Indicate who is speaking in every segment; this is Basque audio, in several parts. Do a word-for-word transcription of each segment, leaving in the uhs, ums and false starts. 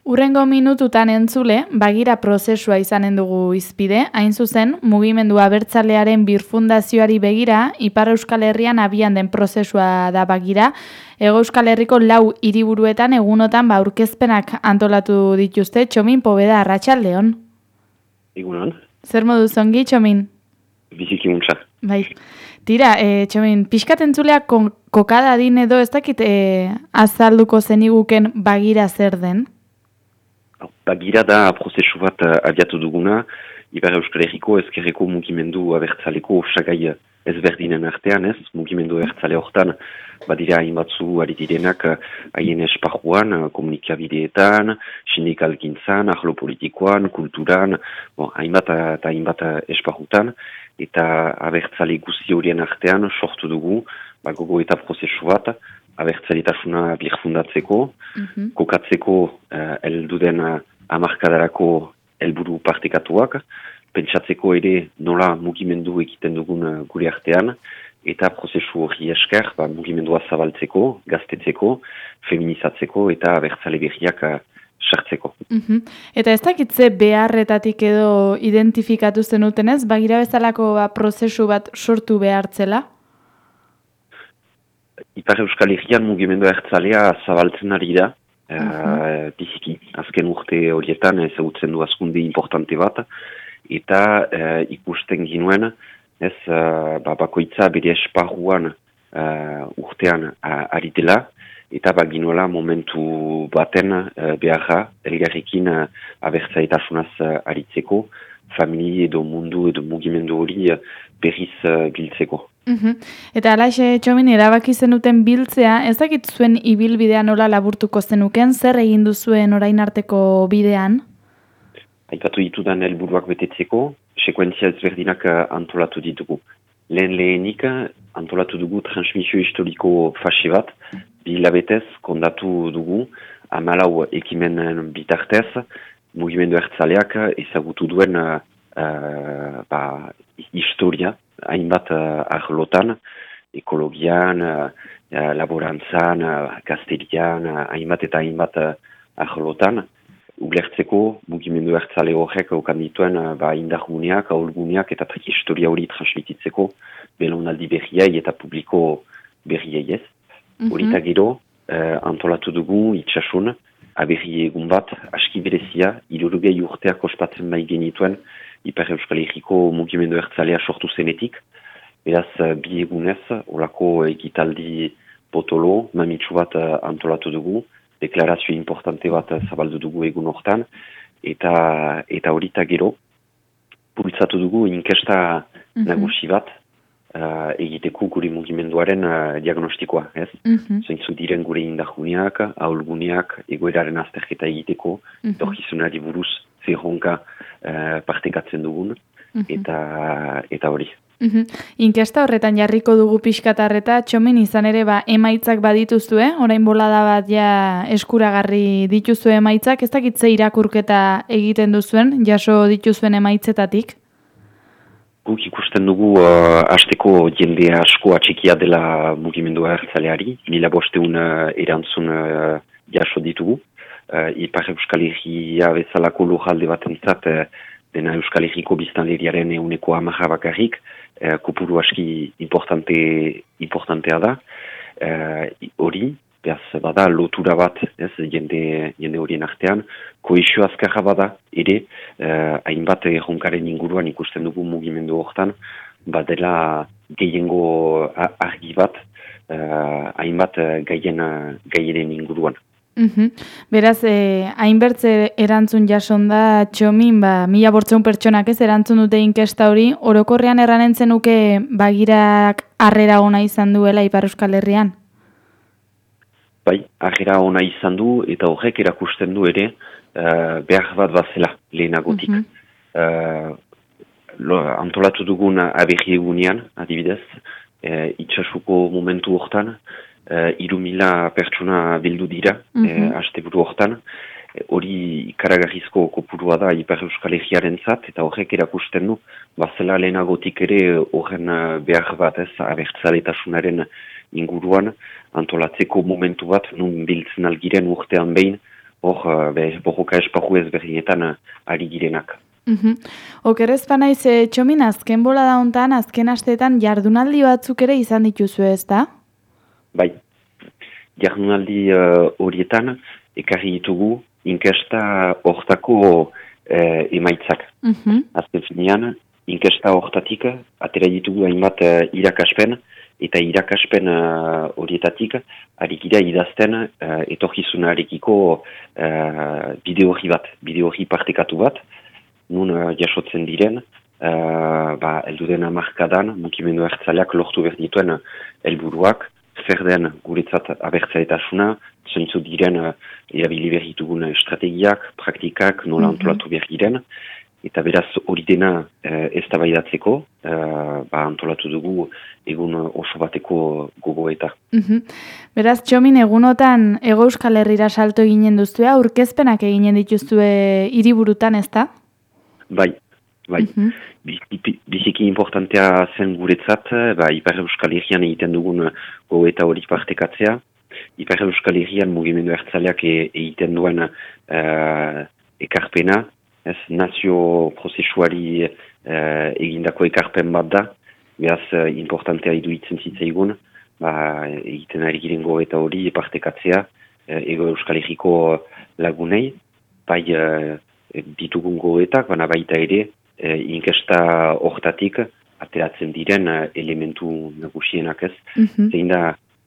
Speaker 1: Hurrengo minututan entzule, bagira prozesua izanen dugu izpide, hain zuzen, mugimendu abertzalearen birfundazioari begira, Ipar Euskal Herrian abian den prozesua da bagira, Hego Euskal Herriko lau hiriburuetan egunotan ba aurkezpenak antolatu dituzte. Txomin, Pobeda, arratsaldeon.
Speaker 2: Egunon.
Speaker 1: Zer moduz ongi, Txomin?
Speaker 2: Biziki muntza.
Speaker 1: Bai. Tira, e, Txomin, pixkat entzuleak kokada din edo ez dakit e, azalduko zeniguken bagira zer den?
Speaker 2: Bagira da prozesu bat abiatu duguna, Ipar Euskal Herriko ezkerreko mugimendu abertzaleko osagai ezberdinen artean, ez? Mugimendu abertzale hortan, badira hainbatzu ari direnak haien esparruan, komunikabideetan, sindikalgintzan, arlo politikoan, kulturan, bon, hainbat eta hainbat esparrutan, eta abertzale guzti horien artean sortu dugu, ba, gogo eta prozesu bat, abertzalitasuna birfundatzeko, mm-hmm. kokatzeko uh, elduden uh, amarkadarako helburu partekatuak, pentsatzeko ere nola mugimendu egiten dugun uh, gure artean, eta prozesu hori esker ba, mugimendua zabaltzeko, gaztetzeko, feminizatzeko eta abertzale berriak uh, sartzeko.
Speaker 1: Mm-hmm. Eta ez dakitze beharretatik edo identifikatu zenutenez, bagira bezalako ba, prozesu bat sortu behartzela?
Speaker 2: Ipar Euskal Herrian mugimendu abertzalea zabaltzen ari da, uh-huh. uh, biziki. Azken urte horietan ezagutzen du azkunde importante bat, eta uh, ikusten ginuen, ez uh, ba, bakoitza bere esparruan uh, urtean uh, ari dela, eta baginuela momentu baten uh, beharra, elgarrekin uh, abertzaletasunaz uh, aritzeko, famili edo mundu edo mugimendu hori uh, berriz uh, biltzeko.
Speaker 1: Uhum. Eta alaxe, Txomin, erabaki zenuten biltzea, ez dakit zuen ibilbidea nola laburtuko zenuken, zer egin duzuen orain arteko bidean?
Speaker 2: Aipatu ditudan helburuak betetzeko, sekuentzia ezberdinak antolatu ditugu. Lehen lehenik antolatu dugu transmisio historiko fase bat, bi hilabetez kondatu dugu, hamalau ekimen bitartez, mugimendu abertzaleak ezagutu duen uh, ba, historia, hainbat uh, arlotan, ekologian, uh, laborantzan, uh, gazterian, uh, hainbat eta hainbat uh, arlotan, ulertzeko mugimendu abertzale horrek okan dituen uh, ba, indarguneak, ahulguneak eta historia hori transmititzeko belaunaldi berriai eta publiko berriai ez. Horita mm-hmm. gero, uh, antolatu dugu itxasun, aberri egun bat, aski berezia, hirurogei urteak ospatzen bai genituen, Ipar Euskal Herriko mugimendu abertzalea sortu zenetik. Beraz, bi egunez, olako egitaldi potolo, mamitsu bat antolatu dugu, deklarazio importante bat zabaldu dugu egun hortan, eta eta horita gero, bultzatu dugu inkesta mm-hmm. nagusi bat, uh, egiteko gure mugimenduaren uh, diagnostikoa, ez? Mm-hmm. Zeintzu diren gure indarguneak, ahulguneak, egoeraren azterketa egiteko, mm-hmm. torkizunari buruz zerronka uh, partekatzen dugun, mm-hmm. eta eta hori.
Speaker 1: Mm-hmm. Inkesta horretan jarriko dugu pixkatarreta, Txomin, izan ere ba, emaitzak badituzue, orain bolada bat ja eskuragarri dituzue emaitzak, ez dakitze irakurketa egiten duzuen, jaso dituzuen emaitzetatik?
Speaker 2: Guk ikusten dugu uh, hasteko jende asko atxikia dela mugimendu abertzaleari, mila bosteun uh, erantzun uh, jaso ditugu. Uh, Ipar Euskal Herria bezalako lurralde batentzat uh, dena Euskal Herriko biztanleriaren euneko hamarra bakarrik, uh, kopuru aski importante, importantea da. Hori, uh, behaz bada lotura bat, ez, jende, jende horien artean, koesio azkarra bada, ere, uh, hainbat erronkaren inguruan ikusten dugu mugimendu hortan, badela gehiengo argi bat, uh, hainbat gaien, gaienen inguruan.
Speaker 1: Uhum. Beraz, eh, hainbertze erantzun jason da, Txomin, ba, mila bortzeun pertsonak ez erantzun dute inkesta hori, orokorrean erranen zenuke bagirak harrera ona izan duela Ipar Euskal Herrian?
Speaker 2: Bai, harrera ona izan du, eta horrek erakusten du ere, uh, behar bat bazela lehenagotik. Mm-hmm. Uh, lo, antolatu dugun aberri egunean, adibidez, uh, itxasuko momentu hortan, uh, iru mila pertsona bildu dira, mm-hmm. uh, asteburu hortan, hori ikaragarrizko kopurua da Ipar Euskal Herriaren zat, eta horrek erakusten du, bazela lehenagotik ere horren behar bat ez, abertzaletasunaren inguruan, antolatzeko momentu bat, nun biltzen algiren urtean behin, hor uh, borroka esparru ezberdinetan uh, ari girenak.
Speaker 1: Uhum. Okerrezpa naiz, e, Txomin, azken bola da hontan, azken asteetan jardunaldi batzuk ere izan dituzu, ez da?
Speaker 2: Bai, jardunaldi uh, horietan ekarri ditugu inkesta hortako uh, emaitzak.
Speaker 1: Uhum.
Speaker 2: Azken finean, inkesta hortatik atera ditugu hainbat uh, irakaspen, eta irakaspen uh, horietatik ari gira idazten uh, etorkizunarekiko uh, bideo horri bat, bideo horri partekatu bat, nun uh, jasotzen diren, uh, ba, elduden hamarkadan, mugimendu abertzaleak lortu behar dituen helburuak, zer den guretzat abertzaletasuna, zentzu diren uh, erabili behar ditugun estrategiak, praktikak, nola
Speaker 1: Mhm.
Speaker 2: antolatu behar diren, eta beraz hori dena uh, eztabaidatzeko, uh, ba, antolatu dugu egun oso bateko gogoeta.
Speaker 1: Uhum. Beraz, Txomin, egunotan Hego Euskal Herrira salto eginen duzue, aurkezpenak eginen dituzue hiriburutan, ez da?
Speaker 2: Bai, bai.
Speaker 1: Mhm.
Speaker 2: Biziki, biziki importantea zen guretzat, ba, Ipar Euskal Herrian egiten dugun gogoeta hori partekatzea. Ipar Euskal Herrian mugimendu ertzaleak e, egiten duen uh, ekarpena, ez, nazio prozesuari uh, egindako ekarpen bat da, beraz uh, importantea iduitzen zitzaigun, ba, egiten ari giren gogoeta hori partekatzea, uh, Ego Euskal Herriko lagunei, bai uh, ditugun gogoetak, baina baita ere, e, inkesta hortatik ateratzen diren uh, elementu nagusienak ez.
Speaker 1: Mhm.
Speaker 2: Zein da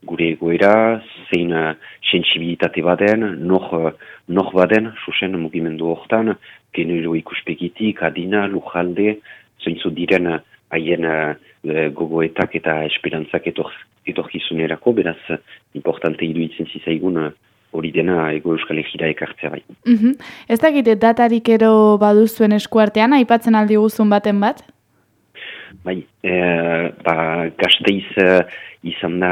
Speaker 2: gure egoera, zein uh, sensibilitate baden, nor, uh, nor baden, susen mugimendu hortan, genero ikuspegitik, adina, lujalde, zeintzu diren uh, haien uh, gogoetak eta esperantzak etor, etorkizunerako, beraz, uh, importante iruditzen zizaigun uh, hori dena Ego Euskal Herrira ekartzea bai.
Speaker 1: Uhum. Ez dakite datarik ero baduzuen eskuartean, aipatzen aldi guzun baten bat?
Speaker 2: Bai, e, ba, Gasteiz e, izan da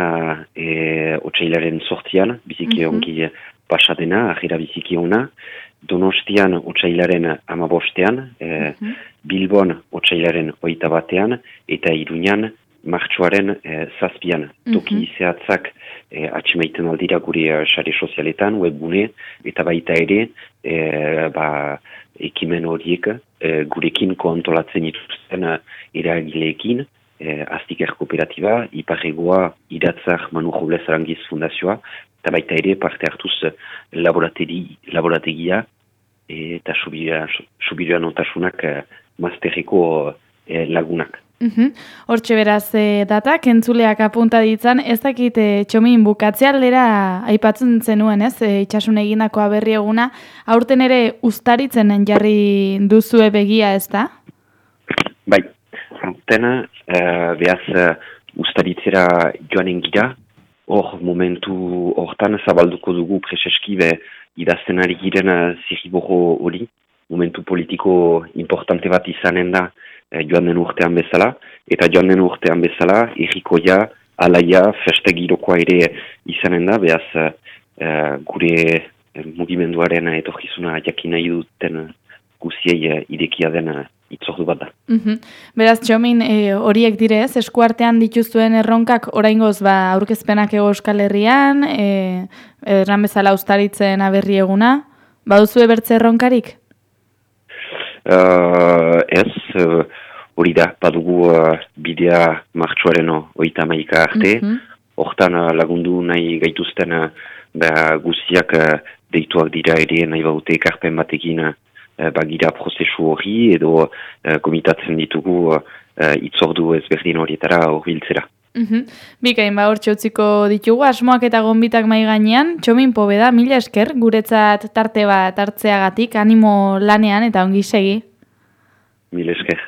Speaker 2: e, otsailaren sortian, biziki
Speaker 1: Mhm.
Speaker 2: ongi pasadena, ajera biziki ona, Donostian otsailaren amabostean, e,
Speaker 1: Mhm.
Speaker 2: Bilbon otsailaren oita batean, eta Iruñan martxoaren e, zazpian. Toki
Speaker 1: Mhm.
Speaker 2: zehatzak e, atximaiten aldira gure e, sare sozialetan, webgune, eta baita ere, e, ba, ekimen horiek e, gurekin koantolatzen dituzten e, eragileekin, e, Aztiker Kooperatiba, Iparregoa, Iratzar Manu Robles Arangiz Fundazioa, eta baita ere parte hartuz laborategi, laborategia e, eta subiroan otasunak e, masterreko e, lagunak.
Speaker 1: Uhum. Hortxe beraz e, datak, entzuleak apunta ditzan, ez dakit e, Txomin bukatze aldera aipatzen zenuen, ez? E, itxasun egindako aberri eguna, aurten ere ustaritzen jarri duzue begia, ez da?
Speaker 2: Bai, aurten e, behaz e, ustaritzera joanen gira, hor momentu hortan zabalduko dugu preseski be idazten ari giren zirriborro hori, momentu politiko importante bat izanen da e, joan den urtean bezala, eta joan den urtean bezala, errikoia, alaia, festegirokoa ere izanen da, behaz e, gure e, mugimenduaren etorkizuna jakin nahi duten guziei e, idekia den itzordu bat da.
Speaker 1: Uhum. Beraz, Txomin, e, horiek direz, eskuartean dituzuen erronkak oraingoz ba, aurkezpenak Hego Euskal Herrian, e, erran bezala ustaritzen aberri eguna, baduzue bertze erronkarik?
Speaker 2: Uh, ez, uh, hori da, badugu uh, bidea martxoaren oita maika arte,
Speaker 1: Mhm.
Speaker 2: hortan uh, lagundu nahi gaituzten uh, ba, guziak uh, deituak dira ere nahi baute ekarpen batekin uh, bagira prozesu hori edo uh, komitatzen ditugu uh, uh, itzordu ezberdin horietara horbiltzera.
Speaker 1: Uhum. Bikain, ba, hortxe utziko ditugu, asmoak eta gonbitak mai gainean, Txomin Pobeda, mila esker, guretzat tarte bat hartzeagatik, animo lanean eta ongi segi.
Speaker 2: Mil esker.